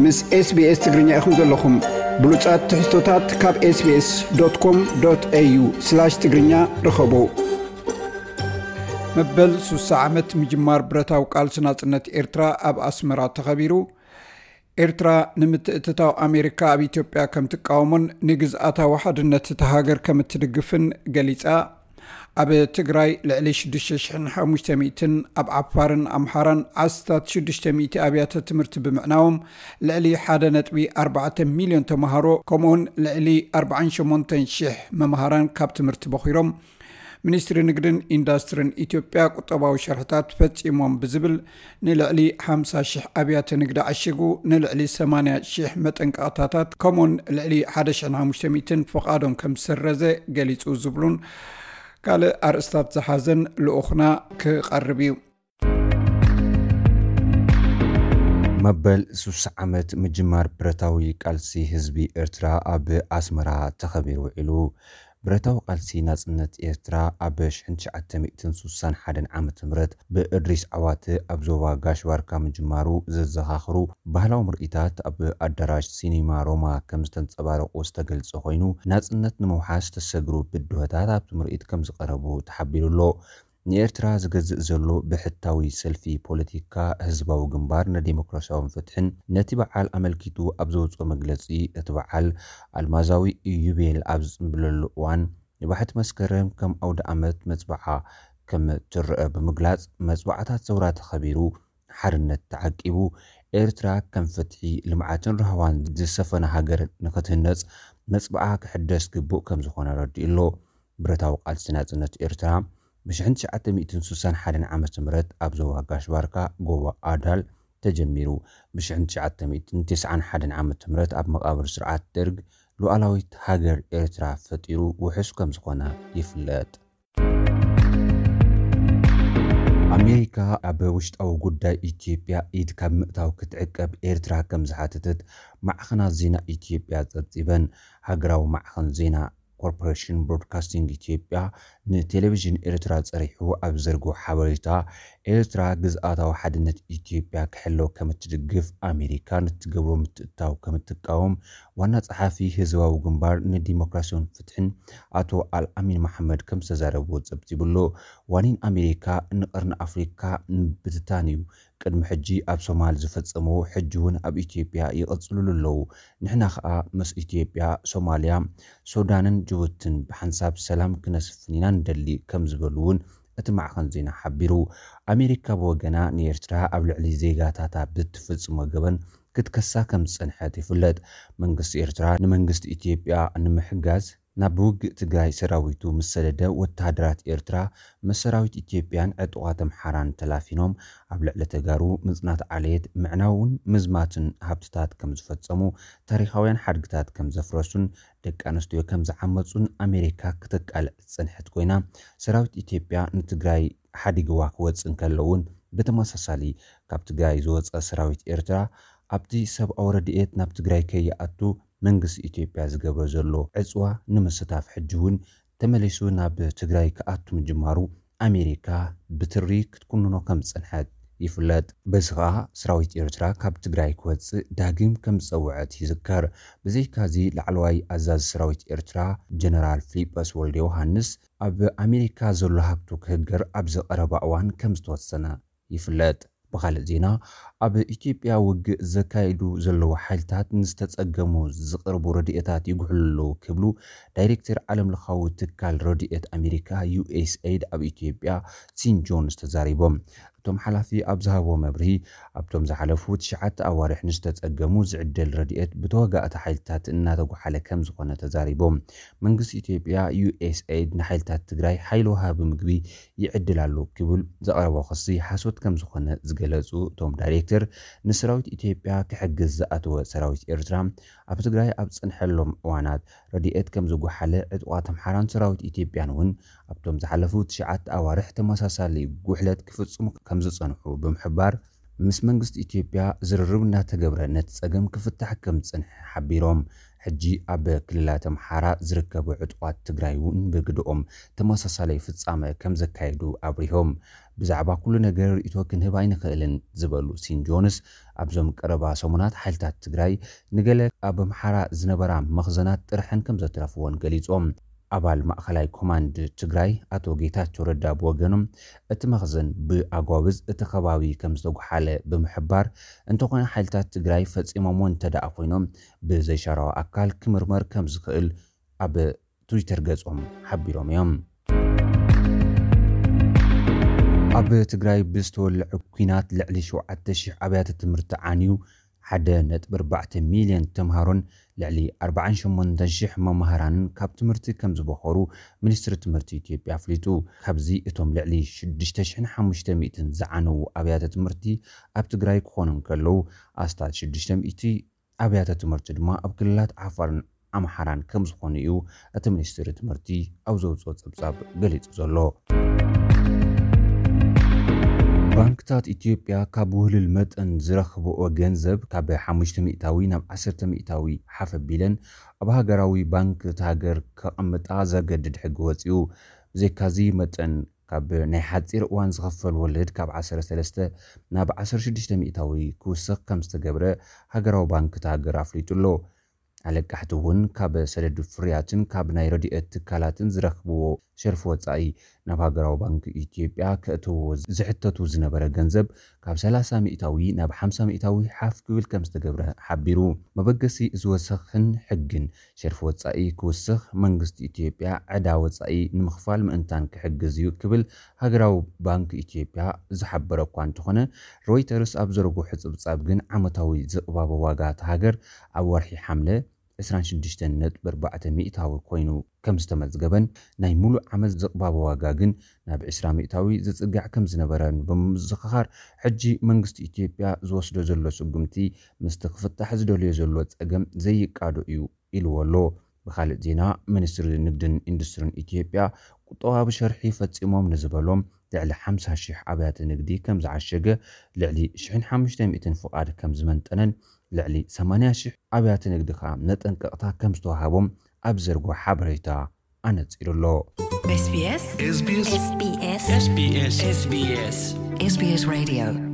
ምስ SBS ትግርኛ ኢኹም ዘለኹም። ብሉጻት ትሕዝቶታት ካብ SBS.com.au/ትግርኛ ርኸቡ። መበል ሱሳ ዓመት ምጅማር ብረታዊ ቃልሲ ናጽነት ኤርትራ ኣብ ኣስመራ ተኸቢሩ። ኤርትራ ንምትእትታው ኣሜሪካ ኣብ ኢትዮጵያ ከም ትቃወሞን ንግዝኣታዊ ሓድነት እታ ሃገር ከም እትድግፍን ገሊጻ። ኣብ ትግራይ ልዕሊ ሽዱሽተ ሽሕን ሓሙሽተ ሚእትን፣ ኣብ ዓፋርን ኣምሓራን ዓስታት ሽዱሽተ ሚእቲ ኣብያተ ትምህርቲ ብምዕናዎም፣ ልዕሊ ሓደ ነጥቢ ኣርባዕተ ሚልዮን ተምሃሮ ከምኡውን ልዕሊ ኣርባዓን ሸሞንተን ሽሕ መምሃራን ካብ ትምህርቲ በኺሮም። ሚኒስትሪ ንግድን ኢንዳስትርን ኢትዮጵያ ቁጠባዊ ሸርሕታት ፈጺሞም ብዝብል ንልዕሊ ሓምሳ ሽሕ ኣብያተ ንግዲ ዓሺጉ፣ ንልዕሊ ሰማንያ ሽሕ መጠንቀቕታታት ከምኡውን ልዕሊ ሓደ ሽሕን ሓሙሽተ ሚእትን ፍቓዶም ከም ዝሰረዘ ገሊጹ ዝብሉን ካልእ ኣርእስታት ዝሓዘን ልኡኽና ክቐርብ እዩ። መበል ሱሳ ዓመት ምጅማር ብረታዊ ቃልሲ ህዝቢ ኤርትራ ኣብ ኣስመራ ተኸቢሩ ውዒሉ። ብረታዊ ቃልሲ ናጽነት ኤርትራ ኣብ ሽሕን ትሽዓተ ሚእትን ሱሳን ሓደን ዓመተ ምህረት ብእድሪስ ዓዋተ ኣብ ዞባ ጋሽ ባርካ ምጅማሩ ዘዘኻኽሩ ባህላዊ ምርኢታት ኣብ ኣዳራሽ ሲኒማ ሮማ ከም ዝተንጸባረቑ ዝተገልጸ ኮይኑ፣ ናጽነት ንምውሓስ ዝተሰግሩ ብድሆታት ኣብቲ ምርኢት ከም ዝቐረቡ ተሓቢሩ ኣሎ። ንኤርትራ ዝገዝእ ዘሎ ብሕታዊ ሰልፊ ፖለቲካ ህዝባዊ ግንባር ንዴሞክራሲያውን ፍትሕን ነቲ በዓል ኣመልኪቱ ኣብ ዘውጽኦ መግለጺ፣ እቲ በዓል ኣልማዛዊ ኢዩቤል ኣብ ዝጽንብለሉ እዋን፣ ንባሕቲ መስከረም ከም ኣውደ ኣመት መጽብዓ ከም ትረአ ብምግላጽ፣ መጽብዓታት ሰውራ ተኸቢሩ፣ ሓርነት ተዓቂቡ፣ ኤርትራ ከም ፍትሒ፣ ልምዓትን ራህዋን ዝሰፈነ ሃገር ንኽትህነጽ መጽብዓ ክሕደስ ግቡእ ከም ዝኾነ ኣረዲኡ ኣሎ። ብረታዊ ቃልሲ ናጽነት ኤርትራ ብሽሕን ትሽዓተ ሚእትን ሱሳን ሓደን ዓመተ ምህረት ኣብ ዞባ ጋሽ ባርካ፣ ጎቦ ኣዳል፣ ተጀሚሩ፣ ብሽሕን ትሽዓተ ሚእትን ተስዓን ሓደን ዓመተ ምህረት ኣብ መቓብር ስርዓት ደርግ ሉዓላዊት ሃገር ኤርትራ ፈጢሩ ውሑስ ከም ዝኾነ ይፍለጥ። ኣሜሪካ ኣብ ውሽጣዊ ጉዳይ ኢትዮጵያ ኢድ ካብ ምእታው ክትዕቀብ ኤርትራ ከም ዝሓተተት ማዕኸናት ዜና ኢትዮጵያ ጸብጺበን። ሃገራዊ ማዕኸን ዜና ኮርፖሬሽን ብሮድካስቲንግ ኢትዮጵያ ንቴሌቪዥን ኤርትራ ጸሪሑ ኣብ ዘርግሖ ሓበሬታ፣ ኤርትራ ግዝኣታዊ ሓድነት ኢትዮጵያ ክሕሎ ከም እትድግፍ፣ ኣሜሪካ ንትገብሮ ምትእትታው ከም እትቃወም ዋና ጸሓፊ ህዝባዊ ግንባር ንዲሞክራሲን ፍትሕን ኣቶ ኣልኣሚን መሓመድ ከም ዝተዛረብዎ ጸብጺቡ ኣሎ። ዋኒን ኣሜሪካ ንቀርኒ ኣፍሪካ ምብትታን እዩ። ቅድሚ ሕጂ ኣብ ሶማል ዝፈጸምዎ ሕጂ እውን ኣብ ኢትዮጵያ ይቕጽልሉ ኣለዉ። ንሕና ኸኣ ምስ ኢትዮጵያ፣ ሶማልያ፣ ሱዳንን ጅቡትን ብሓንሳብ ሰላም ክነስፍን ኢና ንደሊ ከም ዝበሉ እውን እቲ ማዕኸን ዜና ሓቢሩ። ኣሜሪካ ብወገና ንኤርትራ ኣብ ልዕሊ ዜጋታታ ብትፍጽሞ ገበን ክትከሳ ከም ዝጸንሐት ይፍለጥ። መንግስቲ ኤርትራ ንመንግስቲ ኢትዮጵያ ንምሕጋዝ ናብ ውግእ ትግራይ ሰራዊቱ ምስ ሰደደ፣ ወተሃደራት ኤርትራ ምስ ሰራዊት ኢትዮጵያን ዕጡቓት ኣምሓራን ተላፊኖም ኣብ ልዕሊ ተጋሩ ምጽናት ዓሌት፣ ምዕናውን ምዝማትን ሃብትታት ከም ዝፈጸሙ፣ ታሪኻውያን ሓድግታት ከም ዘፍረሱን ደቂ ኣንስትዮ ከም ዝዓመጹን ኣሜሪካ ክተቃልዕ ዝጸንሐት ኮይና፣ ሰራዊት ኢትዮጵያ ንትግራይ ሓዲግዋ ክወጽእ እንከሎ እውን ብተመሳሳሊ ካብ ትግራይ ዝወጸ ሰራዊት ኤርትራ ኣብቲ ሰብኣዊ ረድኤት ናብ ትግራይ ከይኣቱ መንግስቲ ኢትዮጵያ ዝገብሮ ዘሎ ዕጽዋ ንምስታፍ ሕጂ እውን ተመሊሱ ናብ ትግራይ ክኣቱ ምጅማሩ ኣሜሪካ ብትሪ ክትኩንኖ ከም ዝጸንሐት ይፍለጥ። በዚ ኸኣ ሰራዊት ኤርትራ ካብ ትግራይ ክወጽእ ዳግም ከም ዝጸውዐት ይዝከር። ብዘይካዚ ላዕለዋይ ኣዛዚ ሰራዊት ኤርትራ ጀነራል ፊሊጶስ ወልደ ዮሃንስ ኣብ ኣሜሪካ ዘሎ ሃብቱ ክህገር ኣብዚ ቀረባ እዋን ከም ዝተወሰነ ይፍለጥ። ብኻልእ ዜና፣ ኣብ ኢትዮጵያ ውግእ ዘካይዱ ዘለዉ ሓይልታት ንዝተጸገሙ ዝቕርቡ ረድኤታት ይጉሕሉ ኣለዉ ክብሉ ዳይሬክተር ዓለምለኻዊ ትካል ረድኤት ኣሜሪካ ዩ ኤስ ኤይድ ኣብ ኢትዮጵያ ሲን ጆንስ ተዛሪቦም። እቶም ሓላፊ ኣብ ዝሃብዎ መብርሂ፣ ኣብቶም ዝሓለፉ ትሽዓተ ኣዋርሕ ንዝተጸገሙ ዝዕደል ረድኤት ብተዋጋእቲ ሓይልታት እናተጓሓለ ከም ዝኾነ ተዛሪቦም። መንግስቲ ኢትዮጵያ ዩ ኤስ ኤይድ ንሓይልታት ትግራይ ሓይሊ ወሃቢ ምግቢ ይዕድል ኣሎ ክብል ዘቕረቦ ክሲ ሓሶት ከም ዝኾነ ዝገለጹ እቶም ዳይሬክተር፣ ንሰራዊት ኢትዮጵያ ክሕግዝ ዝኣተወ ሰራዊት ኤርትራ ኣብ ትግራይ ኣብ ዝጸንሐሎም እዋናት ረድኤት ከም ዝጓሓለ፣ ዕጡቓት ኣምሓራን ሰራዊት ኢትዮጵያን እውን ኣብቶም ዝሓለፉ ትሽዓተ ኣዋርሕ ተመሳሳሊ ጉሕለት ክፍጽሙ ከም ዝጸንሑ ብምሕባር፣ ምስ መንግስቲ ኢትዮጵያ ዝርርብ እናተገብረ ነቲ ጸገም ክፍታሕ ከም ዝጸንሐ ሓቢሮም። ሕጂ ኣብ ክልላት ኣምሓራ ዝርከቡ ዕጡቓት ትግራይ እውን ብግድኦም ተመሳሳላይ ፍጻመ ከም ዘካየዱ ኣብሪሆም። ብዛዕባ ኩሉ ነገር ርእይቶ ክንህብ ኣይንኽእልን ዝበሉ ሲን ጆንስ፣ ኣብዞም ቀረባ ሰሙናት ሓይልታት ትግራይ ንገለ ኣብ ኣምሓራ ዝነበራ መኽዘናት ጥርሐን ከም ዘትረፍዎን ገሊጾም። ኣባል ማእኸላይ ኮማንድ ትግራይ ኣቶ ጌታቸው ረዳ ብወገኖም፣ እቲ መኽዘን ብኣጓብዝ እቲ ከባቢ ከም ዝተጓሓለ ብምሕባር፣ እንተኾነ ሓይልታት ትግራይ ፈጺሞምዎ እንተደኣ ኮይኖም ብዘይሻራዊ ኣካል ክምርመር ከም ዝኽእል ኣብ ትዊተር ገጾም ሓቢሮም እዮም። ኣብ ትግራይ ብዝተወልዐ ኲናት ልዕሊ ሸውዓተ ሺሕ ኣብያተ ትምህርቲ ዓንዩ፣ ሓደ ነጥቢ ኣርባዕተ ሚልዮን ተምሃሮን ልዕሊ ኣርባዓን ሸሞንተን ሺሕ መማህራንን ካብ ትምህርቲ ከም ዝበኸሩ ሚኒስትሪ ትምህርቲ ኢትዮጵያ ኣፍሊጡ። ካብዚ እቶም ልዕሊ ሽዱሽተ ሽሕን ሓሙሽተ ሚእትን ዝዓነዉ ኣብያተ ትምህርቲ ኣብ ትግራይ ክኾኑ እንከለዉ፣ ኣስታት ሽዱሽተ ሚእቲ ኣብያተ ትምህርቲ ድማ ኣብ ክልላት ዓፋርን ኣምሓራን ከም ዝኾኑ እዩ እቲ ሚኒስትሪ ትምህርቲ ኣብ ዘውፅኦ ጸብጻብ ገሊጹ ዘሎ። ባንክታት ኢትዮጵያ ካብ ውህልል መጠን ዝረኽብኦ ገንዘብ ካብ ሓሙሽተ ሚእታዊ ናብ ዓሰርተ ሚእታዊ ሓፍ ኣቢለን ኣብ ሃገራዊ ባንክ እቲ ሃገር ከቐምጣ ዘገድድ ሕጊ ወጺኡ። ብዘይካዚ መጠን ካብ ናይ ሓጺር እዋን ዝኽፈል ወለድ ካብ ዓሰርተ ሰለስተ ናብ ዓሰርተ ሽዱሽተ ሚእታዊ ክውስኽ ከም ዝተገብረ ሃገራዊ ባንክ እቲ ሃገር ኣፍሊጡ ኣሎ። ኣለቃሕቲ እውን ካብ ሰደድ ፍርያትን ካብ ናይ ረድኤት ትካላትን ዝረኽብዎ ሸርፊ ወጻኢ ናብ ሃገራዊ ባንክ ኢትዮጵያ ከእትዎ ዝሕተቱ ዝነበረ ገንዘብ ካብ ሰላሳ ሚእታዊ ናብ ሓምሳ ሚእታዊ ሓፍ ክብል ከም ዝተገብረ ሓቢሩ። መበገሲ እዚ ወሰኽን ሕግን ሸርፊ ወጻኢ ክውስኽ መንግስቲ ኢትዮጵያ ዕዳ ወጻኢ ንምኽፋል ምእንታን ክሕግዝ እዩ ክብል ሃገራዊ ባንክ ኢትዮጵያ ዝሓበረ እኳ እንተኾነ፣ ሮይተርስ ኣብ ዘርግሖ ጽብጻብ ግን ዓመታዊ ዝቕባበ ዋጋ እታ ሃገር ኣብ ወርሒ ሓምለ ዕስራን ሽዱሽተን ነጥቢ ኣርባዕተ ሚእታዊ ኮይኑ ከም ዝተመዝገበን ናይ ሙሉእ ዓመት ዝቕባበ ዋጋ ግን ናብ ዕስራ ሚእታዊ ዝጽጋዕ ከም ዝነበረን ብምዝኽኻር፣ ሕጂ መንግስቲ ኢትዮጵያ ዝወስዶ ዘሎ ስጉምቲ ምስቲ ክፍታሕ ዝደልዮ ዘሎ ጸገም ዘይቃዶ እዩ ኢልዎ ኣሎ። ብኻልእ ዜና፣ ሚኒስትሪ ንግድን ኢንዱስትሪን ኢትዮጵያ ቁጠባዊ ሸርሒ ፈጺሞም ንዝበሎም ልዕሊ ሓምሳ ሺሕ ኣብያተ ንግዲ ከም ዝዓሸገ፣ ልዕሊ ሽሕን ሓሙሽተ ሚእትን ፍቓድ ከም ዝመንጠነን ልዕሊ ሰማንያ ሺሕ ኣብያተ ንግዲ ከኣ መጠንቀቕታ ከም ዝተዋሃቦም ኣብ ዘርግሖ ሓበሬታ ኣነጺሩ ኣሎ። SBS SBS SBS SBS SBS SBS Radio